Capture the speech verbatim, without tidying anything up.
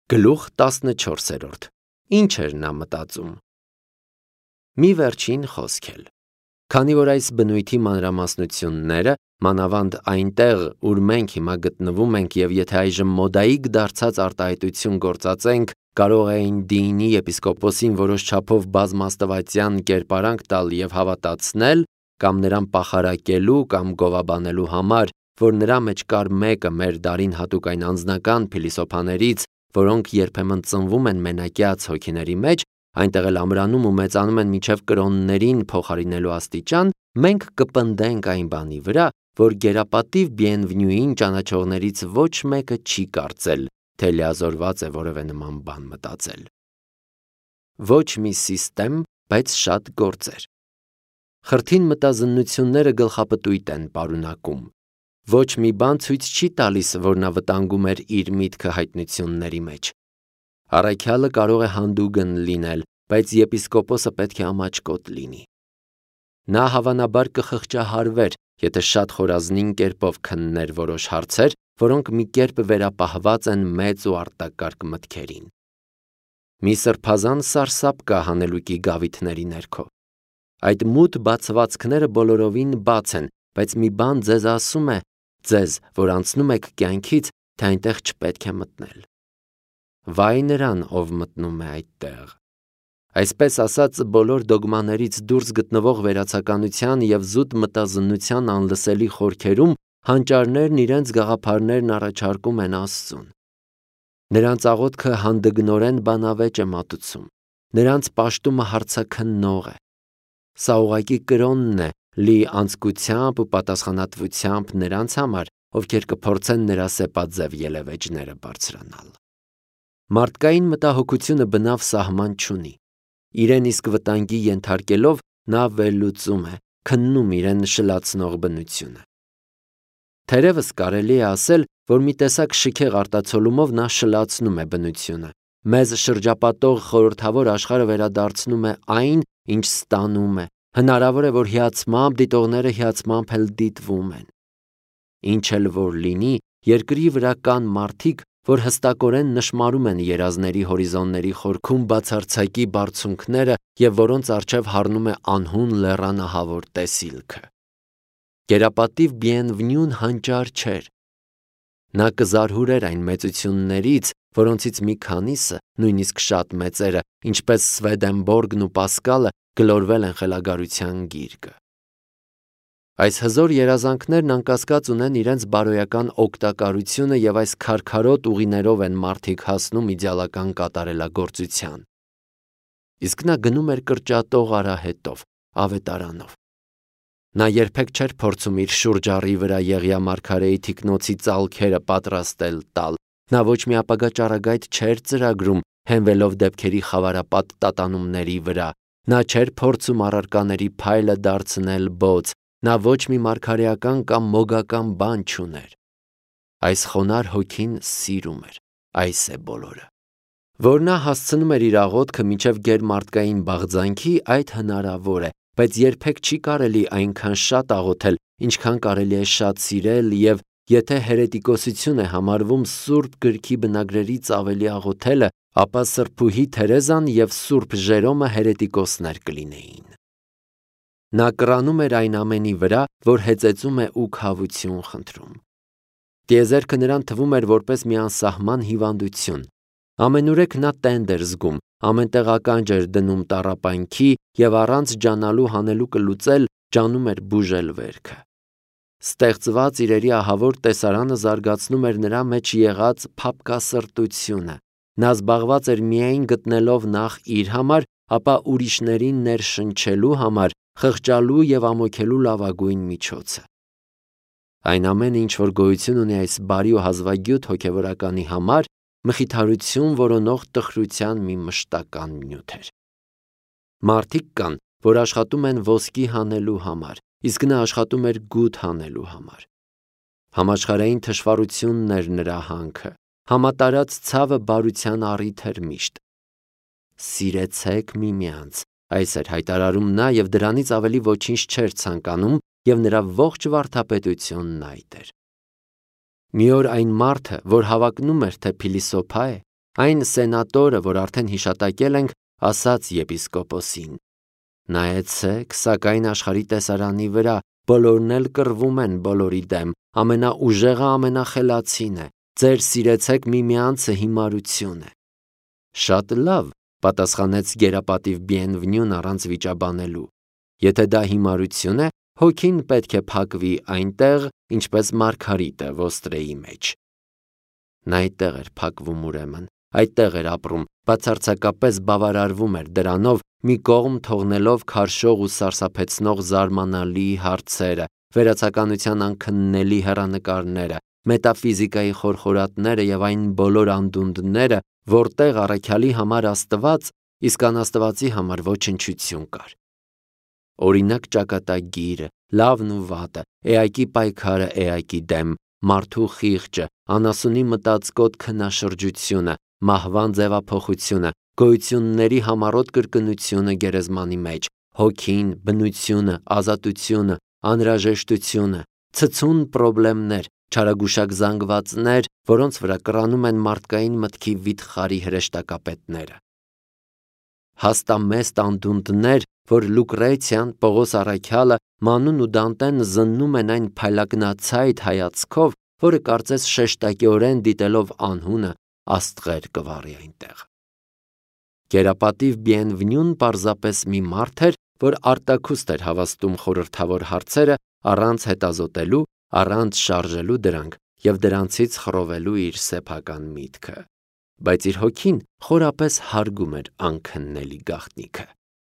Գլուխ տասնչորսերորդ. Ինչ էր նա մտածում։ Մի վերջին խոսք էլ։ Քանի որ այս բնույթի մանրամասնությունները, մանավանդ այնտեղ, ուր մենք հիմա գտնվում ենք, և եթե այժմ մոդայիկ դարձած արտահայտություն գործածենք, կարող էին Դինի եպիսկոպոսին որոշ չափով բազմաստվածյան կերպարանք տալ և հավատացնել, կամ նրան պախարակելու կամ գովաբանելու համար, որ նրա մեջ կար մեկը մեր դարին հատուկ այն անձնական փիլիսոփաներից, որոնք երբեմն ծնվում են մենակյաց հոգիների մեջ, այնտեղ էլ ամրանում ու մեծանում են մինչև կրոններին փոխարինելու աստիճան, մենք կպնդենք այն բանի վրա, որ գերապատիվ Բիենվենյուին ճանաչողներից ոչ մեկը չի կարծել, թե լիազորված է որևէ նման բան մտածել։ Ոչ մի սիստեմ, բայց շատ գործեր։ Խրթին մտազննությունները գլխապտույտ են պարունակում։ Ոչ մի բան ցույց չի տալիս, որ նա վտանգում էր իր միտքը հայտնությունների մեջ։ Առաքյալը կարող է հանդուգն լինել, բայց եպիսկոպոսը պետք է ամաչկոտ լինի։ Նա հավանաբար կխղճահարվեր, եթե շատ խորազնին կերպով քններ որոշ հարցեր, որոնք մի կերպ վերապահված են մեծ ու արտակարգ մտքերին։ Մի սրբազան սարսափ կա հանելուկի գավիթների ներքո։ Այդ մութ բացվածքները բոլորովին բաց են, բայց մի բան ձեզ ասում է, ձեզ, որ անցնում եք կյանքից, թե այնտեղ չպետք է մտնել։ Վայ նրան, ով մտնում է այդտեղ։ Այսպես ասած, բոլոր դոգմաներից դուրս գտնվող վերացականության և զուտ մտազննության անլսելի խորքերում հանճարներն իրենց գաղափարներն առաջարկում են Աստծուն։ Նրանց աղոթքը հանդգնորեն բանավեճ է մատուցում, նրանց պաշտումը հարցաքննող է։ Սա ուղղակի կրոնն է, լի անձկությամբ ու պատասխանատվությամբ նրանց համար, ովքեր կփորձեն նրա սեպաձև ելևէջները բարձրանալ։ Մարդկային մտահոգությունը բնավ սահման չունի։ Իրեն իսկ վտանգի ենթարկելով նա վերլուծում է, քննում իրեն շլացնող բնությունը։ Թերևս կարելի է ասել, որ մի տեսակ շքեղ արտացոլումով նա շլացնում է բնությունը, մեզ շրջապատող խորհրդավոր աշխարհը վերադարձնում է այն, ինչ ստանում է, հնարավոր է, որ հիացմամբ դիտողները հիացմամբ էլ դիտվում են։ Ինչ էլ որ լինի, երկրի վրա կան մարդիկ, որ հստակորեն նշմարում են երազների հորիզոնների խորքում բացարձակի բարձունքները և որոնց առջև հառնում է անհուն լեռանահավոր տեսիլքը։ Գերապատիվ Բիենվենյուն հանճար չէր։ Նա կզարհուրեր այն մեծություններից, որոնցից մի քանիսը, նույնիսկ շատ մեծերը, ինչպես Սվեդենբորգն ու Պասկալը, գլորվել են խելագարության գիրկը։ Այս հզոր երազանքներն անկասկած ունեն իրենց բարոյական օգտակարությունը և այս քարքարոտ ուղիներով են մարդիկ հասնում իդեալական կատարելագործության։ Իսկ նա գնում էր կրճատող արահետով, ավետարանով։ Նա երբեք չէր փորձում իր շուրջառի վրա Եղիա մարգարեի թիկնոցի ծալքերը պատրաստել տալ։ Նա ոչ մի ապագա ճառագայթ չէր ծրագրում, հենվելով դեպքերի խավարապատ տատանումների վրա։ Նա չէր փորձում առարկաների փայլը դարձնել բոց։ Նա ոչ մի մարգարեական կամ մոգական բան չուներ։ Այս խոնարհ հոգին սիրում էր, այս է բոլորը։ Որ նա հասցնում էր իր աղոթքը մինչև գերմարդկային բաղձանքի, այդ հնարավոր է, բայց երբեք չի կարելի այնքան շատ աղոթել, ինչքան կարելի է շատ սիրել, և եթե հերետիկոսություն է համարվում Սուրբ Գրքի բնագրերից ավելի աղոթելը, ապա սրբուհի Թերեզան և Սուրբ Ժերոմը հերետիկոսներ կլինեին։ Նա կռանում էր այն ամենի վրա, որ հեծեծում է ու քավություն խնդրում։ Տիեզերքը նրան թվում էր որպես մի անսահման հիվանդություն։ Ամենուրեք նա տենդ էր զգում, ամենտեղ ականջ էր դնում տառապանքի և առանց ջանալու հանելուկը լուծել, ջանում էր բուժել վերքը։ Ստեղծված իրերի ահավոր տեսարանը զարգացնում էր նրա մեջ եղած փափկասրտությունը։ Նա զբաղված էր միայն գտնելով նախ իր համար, ապա ուրիշներին ներշնչելու համար, խղճալու և ամոքելու լավագույն միջոցը։ Այն ամենը, ինչ որ գոյություն ունի այս բարի ու հազվագյուտ հոգևորականի համար, մխիթարություն որոնող տխրության մի մշտական նյութ էր։ Մարդիկ կան, որ աշխատում են ոսկի հանելու համար, իսկ նա աշխատում էր գութ հանելու համար։ Համաշխարհային թշվառությունն էր նրա հանքը, համատարած ցավը բարության առիթ էր միշտ։ Սիրեցեք միմյանց, այս էր հայտարարում նա և դրանից ավելի ոչինչ չէր ցանկանում, և նրա ողջ վարդապետությունն այդ էր։ Մի օր այն մարդը, որ հավակնում էր, թե փիլիսոփա է, Այն սենատորը, որ արդեն հիշատակել ենք, ասաց եպիսկոպոսին. «Նայեցեք, սակայն աշխարհի տեսարանի վրա բոլորն էլ կռվում են բոլորի դեմ, ամենաուժեղը ամենախելացին է, ձեր սիրեցեք միմյանցը հիմարություն է»։ Շատ լավ, պատասխանեց գերապատիվ Բիենվնյուն առանց վիճաբանելու։ Եթե դա հիմարություն է, հոգին պետք է փակվի այնտեղ, ինչպես մարգարիտը ոստրեի մեջ։ Նա այդտեղ էր փակվում ուրեմն, այդտեղ էր ապրում, բացարձակապես բավարարվում էր դրանով, մի կողմ թողնելով քարշող ու սարսափեցնող զարմանալի հարցերը, վերացականության անքննելի հեռանկարները, մետաֆիզիկայի խորխորատները եւ այն բոլոր անդունդները, որտեղ առաքյալի համար Աստված, իսկ անաստվածի համար ոչնչություն կար։ Օրինակ ճակատագիրը, լավն ու վատը, էակի պայքարը էակի դեմ, մարդու խիղճը, անասունի մտածկոտ քնաշրջությունը, մահվան ձևափոխությունը, գոյությունների համառոտ կրկնությունը գերեզմանի մեջ, հոգին, բնությունը, ազատությունը, անհրաժեշտությունը, ցցուն պրոբլեմներ, չարագուշակ զանգվածներ, որոնց վրա կռանում են մարդկային մտքի վիթխարի հրեշտակապետները։ Հաստամեստ անդունդներ, որ Լուկրեցիան, Պողոս առաքյալը, Մանուն ու Դանտեն զննում են այն փայլագնացայդ հայացքով, որը կարծես շեշտակիորեն դիտելով անհունը աստղեր կվառի այնտեղ։ Գերապատիվ Բիենվնյուն պարզապես մի մարդ էր, որ արտաքուստ էր հավաստում խորհրդավոր հարցերը առանց հետազոտելու, առանց շարժելու դրանք եւ դրանցից խռովելու իր սեփական միտքը, բայց իր հոգին խորապես հարգում էր անքննելի գաղտնիքը։